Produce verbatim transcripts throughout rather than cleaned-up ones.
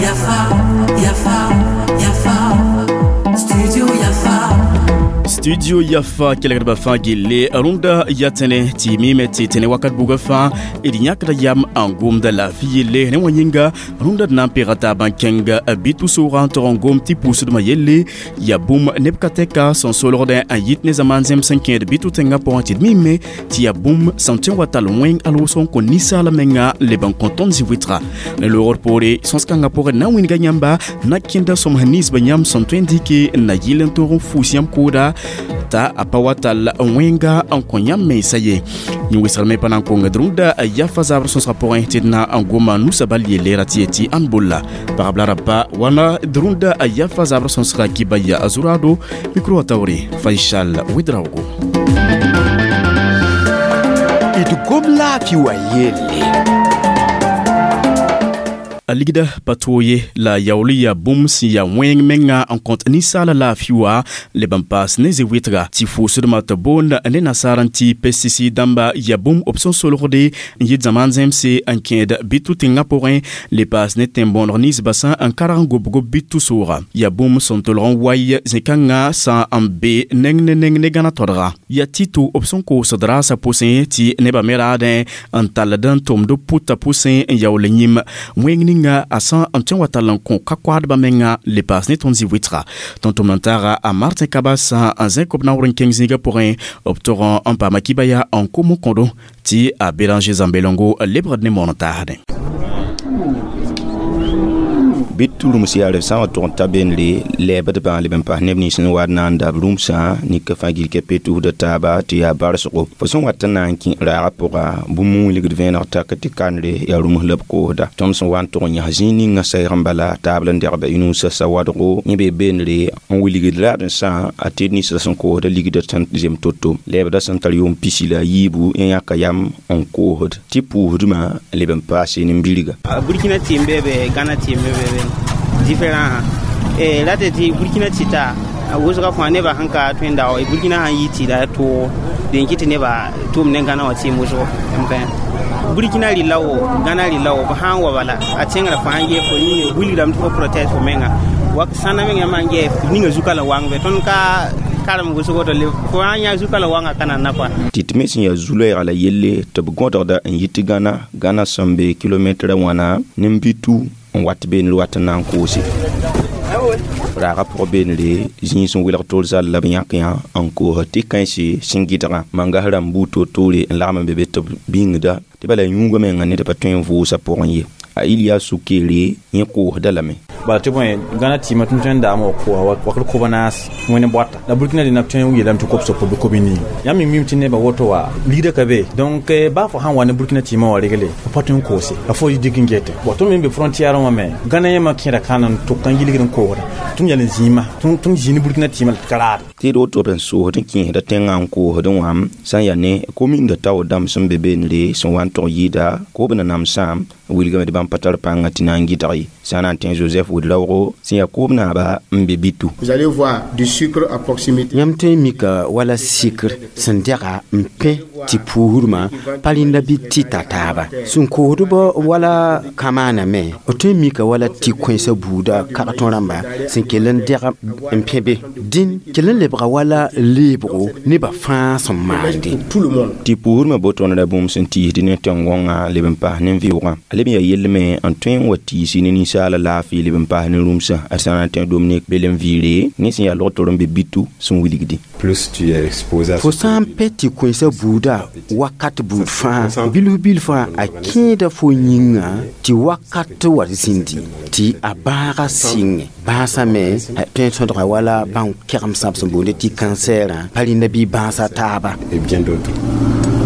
Yafa, Yafa, Yafa, Studio Yafa. Studio Yafa kelgdbã fãa gille rũndã yaa tẽne tɩ mime tɩ tẽne wakat bugã fãa d yãkda yam n gomda laafɩ yelle rẽ wã yĩnga rũndã d na n pega taab n kẽng bɩ tʋ-soogã n tog n gom tɩ pʋʋsdmã yelle yaa bũmb neb ka tɛka sẽn solgdẽ n yit ne zamaan zẽms sẽn kẽed bɩ tʋ tẽngã pʋgẽ tɩ d mime tɩ yaa bũmb sẽn tõe n wa tall wẽng al wʋsg n kõ ninsaal menga leb n kõ tõnd zĩ-wɩtga ne loogr poore sõs-kãngã pʋgẽ na n wĩnga yãmba na kẽnda sõms ninsbã yãmb sẽn tõe n dɩke n na yɩl n tõog n fuus yãmb kooda ta a pa wa tall wẽnga n kõ yãmb mensa ye yẽ wɩsgr me pa na n kongd rũndã yafa zabr sõsgã pʋgẽ tɩ d na n goma nusa bal yelle ra tɩ yetɩ ãnd bolla pagb la raba wãna d rũndã yafa zabr sõsga kiba ya zurado micro wa taoore Faisal Ouedraogo. D gom laafɩ wa yelle. A ligda pa toog ye la yaool yaa bũmb sẽn yaa wẽng menga n kõt ninsaala laafɩ wa leb n paas ne ze-wɩtga tɩ fʋʋsdmã tɩ boond ne nasaar n tɩ pesticide dãmba yaa bũmb b sẽn solgde n yɩ zamaan zẽmse n kẽed bɩ tʋ tẽngã pʋgẽ le paas ne tẽn-bõoneg ninsbã sã n karg n gobg bɩ tʋ-sooga yaa bũmb sẽn tolg n way zẽ-kãngã sã n be neng ne neng ne gãna todga yaa tɩ-to b sẽn koosd raasã pʋsẽ tɩ nebã me raadẽ n talld n tʋmd pʋtã pʋsẽ n yaool yĩm wẽng ninga a sã n tõe n wa tall n kõ ka-koaadbã menga le paas ne tõnd zĩ-wɩtga tõnd tʋmd n taaga a Martin Kabas n zẽk b naoor n kẽng zĩigã pʋgẽ b tog n paama kiba yaa n kom n kõdo tɩ a Béranger Zambelongo lebgd ne moon n taasdẽ. Bɩ tɩ rũms yaa b sã n wa tʋg n ta beenre lɛɛbdbã leb n pas neb nins n wa na n dab rũmsã nika fãa gil kɛ pe tusda taaba tɩ yaa barsgo fo sẽn wat n na n kẽ raagã pʋga bũmb n wilgd vẽeneg tak tɩ kandre yaa rũms la b koosda tõnd sẽn wa n tʋg n yãs zĩig ninga saɛg n bala taab la n degba y nuusã sa wadgo yẽ bee beenre n wilgd raad n sã a tɩ ninsã sẽn koosda ligda sẽn zem to-to lɛɛbda sẽn tar yʋʋm pisi la a yiibu yẽ yãka yam n koosd tɩ pʋʋsdmã leb n paase nin-birga. Burkina tɩɩm be be, Ghana tɩɩm be be différent eh la tɩ Burkina tɩta wʋsga fãa nebã sẽn ka tõe n dao Burkina sãn yi tɩda tʋʋg den kɩ tɩ nebã tʋʋm ne Ghana wã tɩɩm wʋsgo Burkina rɩla wo Ghana rɩla wo b sãn wa bala a tẽngrã fo sãn gee fo ninga wilgrame tɩ fo protège fo menga wak sãna menga maan gee ninga zuka la wãng be tõnd ka karem wʋsgo to fo sãn yã zuka la wãngã ka nanna kɔa. Tɩ tɩ me sẽn yaa zu-loɛɛga la yelle tɩ b gõdgda n yit Gãna Gãna sẽn be kilomɛtrã wãna nin-bitu n wat beenre wat n na n koose raagã pʋg beenre zĩig sẽn welg tol zal la b yãk yã n koos tɩ kãense sẽn gɩdgã mangas rãmb buud toor-toore n lagm n be be tɩ b bĩngda tɩ bala yũugã menga ned pa tõe n vʋʋsa pʋgẽ ye a Iliya Sukere yẽ koosda lame. Bala tɩ bõe Gãna tɩɩmã tɩ tõe n daam wa koa wakr kob naas wẽne boata la Burkina dẽna tõe n yeelame tɩ kob sop bɩ kob ning yãmb me mim tɩ nebã woto wa ligda ka be donc baa fo sãn wa ne Burkina tɩɩmã wa regle fo pa tõe n koose a fo dɩk n gete bon tõnd me n be frontière wã me Gãna yẽmã kẽeda kãn n tʋk n yilgd n koosda tõnd yal n zĩima tõnd zĩig ne Burkina tɩɩmã la tɩ ka raade. Tɩ d woto b n soosd n kẽesda tẽngã n koosd wã sã n yaa ne kominda tao dãmb sẽn be beenre sẽn wa n tog yɩɩda koob na namsã wilgame tɩ bãmb pa tar pãngã tɩ na n gɩdg ye sã n na n tẽ Joseph Ouedraogo sẽn yaa koob naaba n be bitu. Vous allez voir du sucre à proximité. Yãmb tõe n mika wala sɩkr sẽn dɛga n pẽ tɩ puusdmã pa rẽnda bɩ tɩ ta taaba sẽn koosdbã wala kamaana me b tõe n mika wala tɩ kõensã buuda kag-tõ rãmba sẽn kell n dɛg n pẽ be dĩn kell n lebga wala leebgo nebã fãa sẽn maande. Tout le monde. Tɩ puusdmã botoonda bũmb sẽn tiisd ne tẽn-gõngã leb n paas ne vɩʋgã a leb n yaa yell me n tõe n wa tiisi ne ninsaala laafɩ leb n paas ne rũmsã a sã na n tẽ Dominique Belem viire ne sẽn yaa log-tor n be bitu sẽn wilgdi. Plus tu es exposé à fo sã n pɛ tɩ kõensã buuda wakat buud fãa bilf bilfã a kẽeda fo yĩnga tɩ wakat wa zĩndi tɩ a bãaga sɩngẽ bãasã me a tõe n sõdga wala bãng kɛgemsã b sẽn boonde tɩ kansɛɛrã pa rẽnda bɩ bãasa taaba. Et bien d'autres.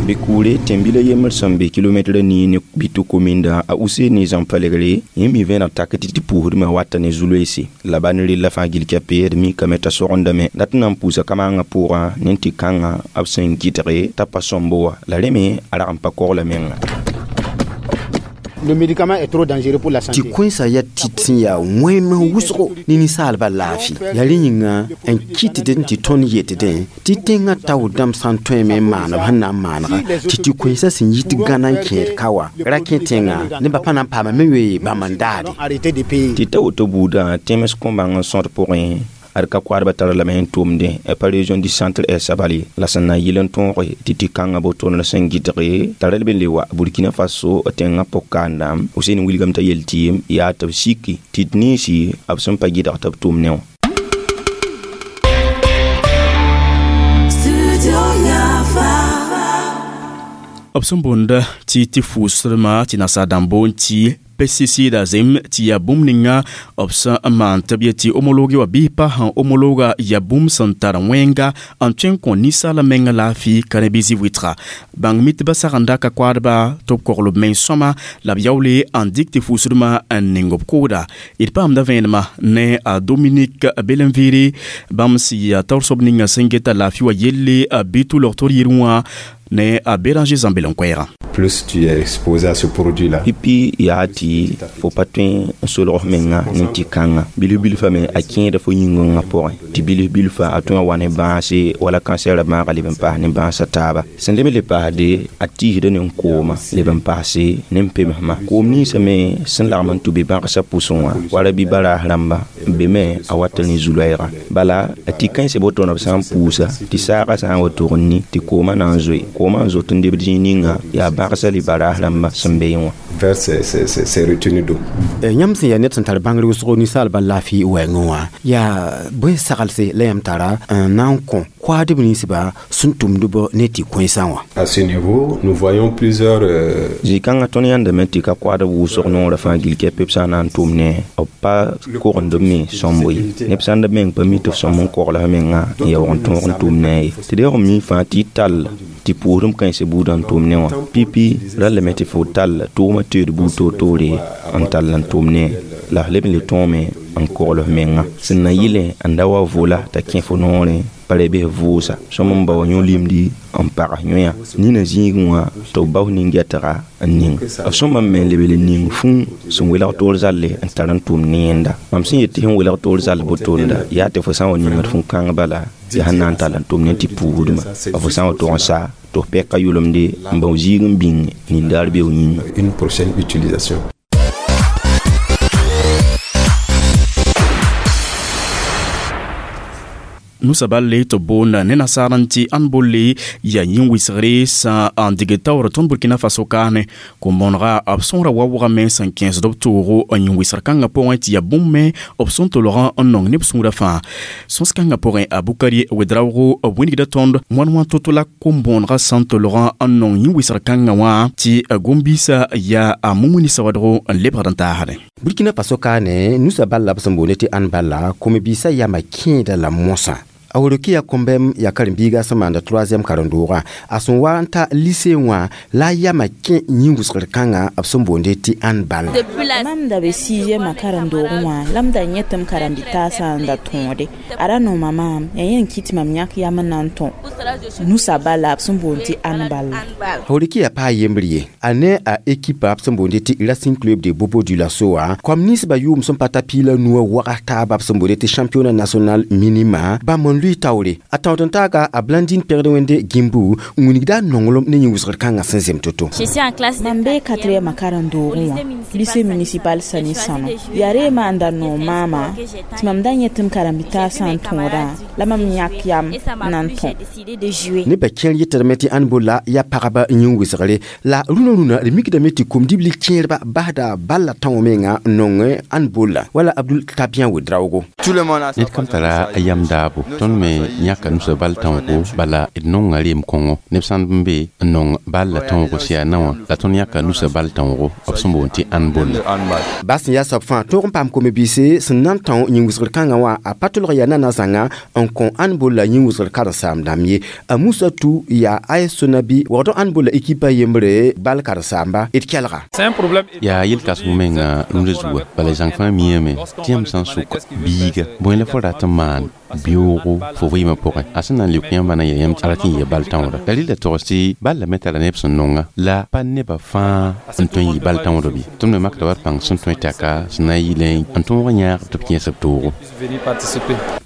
Bɩ kuure tẽn-bila yembr sẽn be kilomɛtrã nii ne bɩ kominda a Useni zãm-palegre yẽ mi vẽeneg tak tɩ tɩ puusdmã wata ne zu-loeese la ba ne rella fãa gil kɛpe d mikame t'a sogndame dat n na n puusa kamaangã pʋgã ne tɩ kãngã b sẽn gɩdge t'a pa sõmbo wa la rẽ me a rag n pa kogla menga. Le médicament est trop dangereux pour la santé. Tɩ kũensã yaa tɩt sẽn yaa wẽem wʋsgo ne ninsaalbã laafɩ yaa rẽ yĩnga n kɩtdẽ tɩ tõnd yetdẽ tɩ tẽngã tao dãmb sã n tõeme n maan b sẽn na n maanega tɩ tɩ kũensã sẽn yit Gãna n kẽed ka wa ra kẽ tẽngã nebã pa na n paama me wee bãmb n daade Arrêter de payer. Tɩ ta woto buudã tẽms kõ-bãng n sõd pʋgẽ ad ka koadbã tara lame n tʋmdẽ pa région du centre est sabali la sẽn na yɩl n tõoge tɩ tɩ kãngã botoonr sẽn gɩdge tara b le wa Burkina Faso tẽngã pʋg-kaandã Husein wilgame t'a yel tɩ yaa tɩ b siki tɩ d ninsi b sẽn pa gɩdg tɩ b tʋm ne wã. Studio Yafa. B sẽn boonda tɩ tɩ fʋʋsdmã tɩ nasaar dãmb boond tɩ pesticida zem tɩ yaa bũmb ninga b sẽn n maan tɩ b yet tɩ homologe wã bɩ pa sẽn homologa yaa bũmb sẽn tar wẽnga n tõe n kõ ninsaalã menga laafɩ ka rẽ bɩ zĩ-wɩtga bãng mitbã sagenda ka koadba tɩ b kogl b mens sõma la b yaoole n dɩk tɩ fʋʋsdmã n ning b kooda d paamda vẽenemã ne a Dominique Belenviri bãmb sẽn yaa taoor soab ninga sẽn geta laafɩ wã yelle bɩ tʋlg tɩ d yɩr wã ne a Béranger Zambel n koɛɛgã. Plus tu es exposé à ce produit-là. Pipi yaa tɩ fo pa tõe n solg f menga ne tɩ kãnga bilf bilfã me a kẽeda fo yĩngã pʋgẽ tɩ bilf bilfã a tõe n wa ne bãase wala kansɛɛrã bãaga leb n paas ne bãasã taaba sẽn leb n le paasde a tiisda ne kooma leb n paase ne n pemsmã koom ninsã me sẽn lagm n tʋ be bãgsã pʋsẽ wã wala bɩ baraas rãmba n be me a wata ne zu-loɛɛga bala a tɩ kãensã botoona b sã n puusa tɩ saagã sã n wa tog n ni tɩ koomã na n zoe koomã n zot n debd zĩig ninga yaa bãgsã le baraas rãmba sẽn be wã. Vers ces, ces, ces, ces retenues d'eau. Yãmb sẽn yaa ned sẽn tar bãngr wʋsgo ninsaalbã laafɩ wɛɛngẽ wã yaa bõe saglse la yãmb tara n na n kõ koadb ninsba sẽn tʋmdb ne tɩ kũensã wã. À ce niveau, nous voyons plusieurs euh, Zĩ-kãngã tõnd yãndame tɩ ka koadb wʋsg noorã fãa gill kɛpɛ b sã n na n tʋm ne b pa kogend b me sõmbo ye neb sãn da meng pa mi tɩ f sõm n kogl f menga n yaoog n tõog n tʋm ne a ye tɩ deoog n mi fãa tɩ y tall tɩ pʋʋsdem kãensã buudã n tʋm ne wã pipi rallame tɩ fo tall tʋʋmã teed buud toor-toore n tall n tʋm ne la f leb n le tõome n kogl f menga sẽn na yɩlẽ n da wa vola t'a kẽ fo noorẽ pa ra bɩ f vʋʋsa sõm n bao yõ-limdi n pag yõya nina zĩigẽ wã tɩ b bao nin-gɛtga n ning b sõma me n lebl n ning fũu sẽn welg toor zalle n tar n tʋm ne yẽnda mam sẽn yet tɩ sẽn welg toor zall botonda yaa tɩ fo sã n wa ningd fũu kãng bala yaa sẽn na n tall n tʋm ne tɩ puusdmã fo sã n wa tog n sa tɩ f pɛka yʋlemde n bao zĩig n bĩng nindaar beoog yĩnga. Une prochaine utilisation. Nusa balle tɩ boonda ne nasaar n tɩ ãnd bolle yaa yĩn-wɩsgre sã n dɩg taoor tõnd Burkina Faso kaane kom-bõonega b sõora wa wʋgame sẽn kẽesd b toogo n yĩn-wɩsgr kãngã pʋgẽ tɩ yaa bũmb me b sẽn tolgã n nong neb sũurã fãa sõs kãngã pʋgẽ a Bukari Wedraoogo b wĩnigda tõnd wãn wã to-to la kom-bõonegã sẽn tolgã n nong yĩn-wɩsgr kãngã wã tɩ gom-biisã yaa a mumuni sawadgo n lebgd n taasdẽ. Burkina Faso kaane nusa balla b sẽn boonde tɩ ãnd balla kom-biisã yama kẽeda la mosã a worokiya kõmbɛm yaa karen-biiga sẽn maanda troisième karen-doogã a sẽn wa n ta lycée wã la a yama kẽ yĩn-wʋsgr kãngã b sẽn boonde tɩ ãnd balla. Mam da be sixième karen-doogẽ wã la m da yẽ tɩ m karen-bi-taasã n da tõode a ra nooma maam yaa yẽ n kɩt mam yãk yam n na n tõ nusa bala b sẽn boond tɩ ãnd balla. A worokiya paa yembr ye a ne a équipe b sẽn boonde tɩ Racing Club de Bobo Dioulasso wã kom ninsbã yʋʋm sẽn pa ta piig la nuwã wagas taaba b sẽn boonde tɩ championnat national minima bãmb n lʋɩ taoore a taood n taaga a Blandine pẽgd wẽnde gĩmbu n wilgda a nonglem ne yĩn-wʋsgr kãngã sẽn zem to-to. Mam bee quatrième karen-doogẽ wã lycée municipal Sani Sano yaa reema n da noog maama tɩ mam da yẽ tɩ m karen-bi-taasã n tõodã la mam yãk yam n na n tõ. Nebã kẽer yetdame tɩ ãnd bolla yaa pagba yĩn-wɩsgre la rũnã rũnã d mikdame tɩ kom-dibli kẽerba basda balla tão menga n nong ãnd bolla wala Abdul Tabiã Wedraoogo. Ned kam tara a yam daabo tõnd me yãka nusa bal tõogo bala d nonga reem kõngo neb sãnd n be n nong bal la tõogo sẽn yaa na wã la tõnd yãka nusa bal tõogo b sẽn boond tɩ ãnd bolla. Bas sẽn yaa soab fãa tõog n paam kom-biise sẽn na n tão yĩn-wɩsgr kãngã wã a pa tolg yaa nana zãnga n kõ ãnd bolla yĩn-wɩsgr karen-saam dãmb ye a Musa Tu yaa A S Sonabi waood ãnd bolla ekipa yembre bal karen-saamba d kelga. Yaa yel-kãseng menga rũndã zuga bala zãng fãa miame tɩ yãmb sã n sʋk biiga bõe la fo rat n maan beoogo fo vɩɩmã pʋgẽ a sẽn na n leok yãmba na n yeel yãmb tɩ a rat n yɩ bal tãooda la rɩla togs tɩ bal la me tara neb sẽn nonga la pa nebã fãa n tõe n yɩ bal tãoodb ye tõnd me makda wa d pãng sẽn tõe taka sẽn na n yɩlẽ n tõog n yãag tɩ b kẽes b toogo.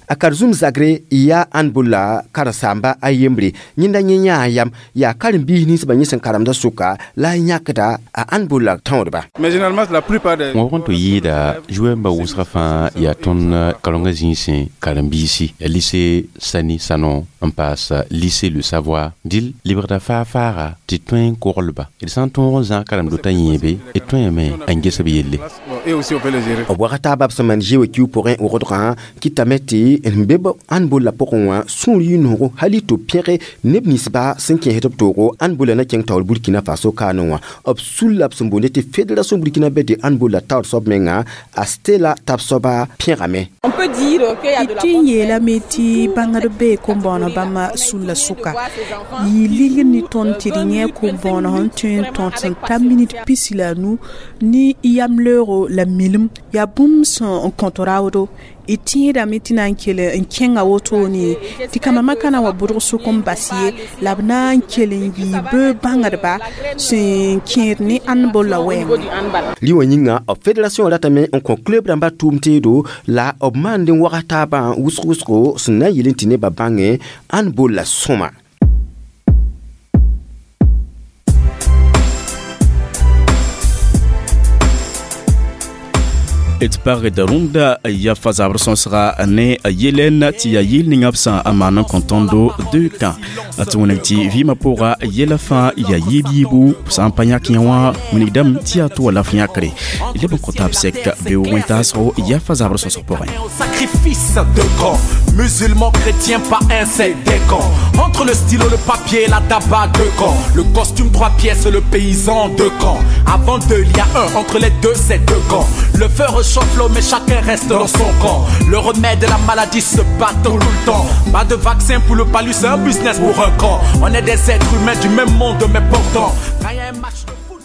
A karen-zũm zagre yaa ãnd-bolla karen-saamba a yembre yẽnda yẽ yãa yam yaa karen-biis ninsbã yẽ sẽn karemda sʋka la a yãkda a ãnd-bolla tãoodba. Wã wʋgẽ tɩ yɩɩda zoɛɛmbã wʋsgã fãa yaa tõnd karengã zĩisẽ karen-biisi ya lycée Sani Sanon n paas lycée Le Savoir dɩl lebgda faa-faaga tɩ tõe n koglba d sã n tõog n zãag karem-dotã yẽebe d tõeme n ges b yelle. B waga taaba b sẽn maan zoe kiu pʋgẽ wʋgdgã kɩtame tɩ n be b ãnd-bolla pʋgẽ wã sũur yɩ noogo hali tɩ b pẽge neb ninsba sẽn kẽesd b toogo ãnd-bolla na kẽng taoor Burkina Faso kaanẽ wã b sul la b sẽn boonde tɩ fédération burkina be de ãnd-bolla taoor soab menga a Stella tab soaba pẽgame. Tɩ n yeelame tɩ bãngd bee kom-bõoneg bãmba sulla sʋka yɩ ling ne tõnd tɩ d yẽ kom-bõoneg sẽn tõe n tõt sẽn ta minit pisi la a nu ne yamleoogo la milim yaa bũmb sẽn kõt raoodo d tẽedame tɩ na n kell n kẽnga wotone tɩ kambã makã na wa bʋdg sʋk n bas ye la b na n kell n yɩ bɩ bãngdba sẽn kẽed ne ãnd-bolla wɛɛngẽ. Rɩ wã yĩnga b fédération ratame n kõ club rãmbã tʋʋm teedo la b maand n wags taabã wʋsg wʋsgo sẽn na n yel n tɩ nebã bãngẽ ãnd-bolla sõma. D pagd rũndã yafa zabr sõsga ne yelen tɩ yaa yɩl ninga b sã n maan n kõ tõndo deux camps tɩ wẽneg tɩ vɩɩmã pʋga yɛla fãa yaa yiib yiibu sã n pa yãk yã wã wilgdame tɩ yaa tʋ wa la f yãkre leb n kõ taab sɛk beoog wẽn-taasgo yafa zabr sõsg pʋgẽ. Sacrifice de camp, musulmans, chrétiens, pas un, c'est des camps. Entre le stylo, le papier, la tabac, deux camps. Le costume, trois pièces, le paysan, deux camps. Avant deux, il y a un, entre les deux, c'est deux camps. Le feu réchauffe l'eau, mais chacun reste dans son camp. Le remède de la maladie se bat tout le temps. Pas de vaccin pour le palu, c'est un business pour un camp. On est des êtres humains du même monde, mais pourtant, quand il y a un match de foot,